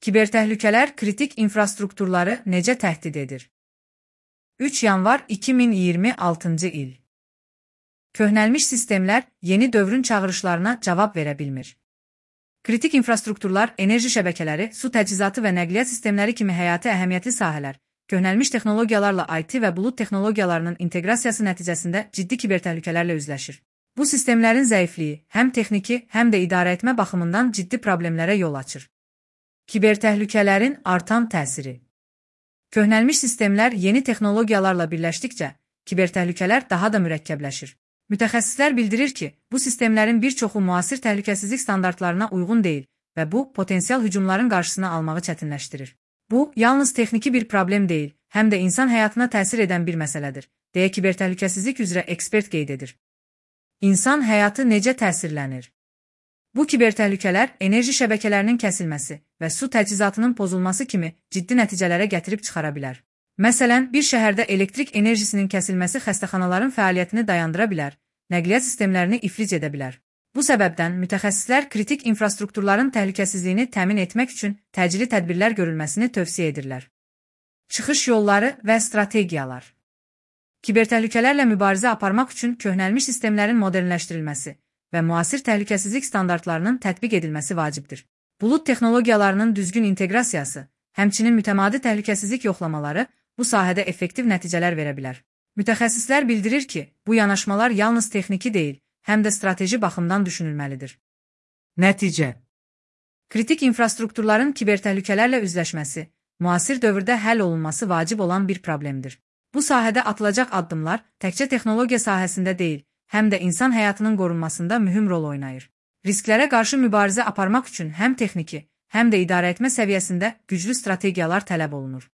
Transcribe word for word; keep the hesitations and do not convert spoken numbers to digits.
Kibertəhlükələr kritik infrastrukturları necə təhdid edir? üç yanvar iki min iyirmi altıncı il. Köhnəlmiş sistemlər yeni dövrün çağırışlarına cavab verə bilmir. Kritik infrastrukturlar, enerji şəbəkələri, su təchizatı və nəqliyyat sistemləri kimi həyati əhəmiyyətli sahələr, köhnəlmiş texnologiyalarla I T və bulud texnologiyalarının inteqrasiyası nəticəsində ciddi kibertəhlükələrlə üzləşir. Bu sistemlərin zəifliyi həm texniki, həm də idarəetmə baxımından ciddi problemlərə yol açır. Kibertəhlükələrin artan təsiri. Köhnəlmiş sistemlər yeni texnologiyalarla birləşdikcə, kibertəhlükələr daha da mürəkkəbləşir. Mütəxəssislər bildirir ki, bu sistemlərin bir çoxu müasir təhlükəsizlik standartlarına uyğun deyil və bu, potensial hücumların qarşısını almağı çətinləşdirir. Bu, yalnız texniki bir problem deyil, həm də insan həyatına təsir edən bir məsələdir, deyə kibertəhlükəsizlik üzrə ekspert qeyd edir. İnsan həyatı necə təsirlənir? Bu kibertəhlükələr enerji şəbəkələrinin kəsilməsi və su təchizatının pozulması kimi ciddi nəticələrə gətirib çıxara bilər. Məsələn, bir şəhərdə elektrik enerjisinin kəsilməsi xəstəxanaların fəaliyyətini dayandıra bilər, nəqliyyat sistemlərini iflic edə bilər. Bu səbəbdən mütəxəssislər kritik infrastrukturların təhlükəsizliyini təmin etmək üçün təcili tədbirlər görülməsini tövsiyə edirlər. Çıxış yolları və strategiyalar. Kibertəhlükələrlə mübarizə aparmaq üçün köhnəlmiş sistemlərin modernləşdirilməsi və müasir təhlükəsizlik standartlarının tətbiq edilməsi vacibdir. Bulud texnologiyalarının düzgün inteqrasiyası, həmçinin mütəmadi təhlükəsizlik yoxlamaları bu sahədə effektiv nəticələr verə bilər. Mütəxəssislər bildirir ki, bu yanaşmalar yalnız texniki deyil, həm də strateji baxımdan düşünülməlidir. Nəticə. Kritik infrastrukturların kibertəhlükələrlə üzləşməsi, müasir dövrdə həll olunması vacib olan bir problemdir. Bu sahədə atılacaq addımlar təkcə texnologiya sahəsində deyil, həm də insan həyatının qorunmasında mühüm rol oynayır. Risklərə qarşı mübarizə aparmaq üçün həm texniki, həm də idarəetmə səviyyəsində güclü strategiyalar tələb olunur.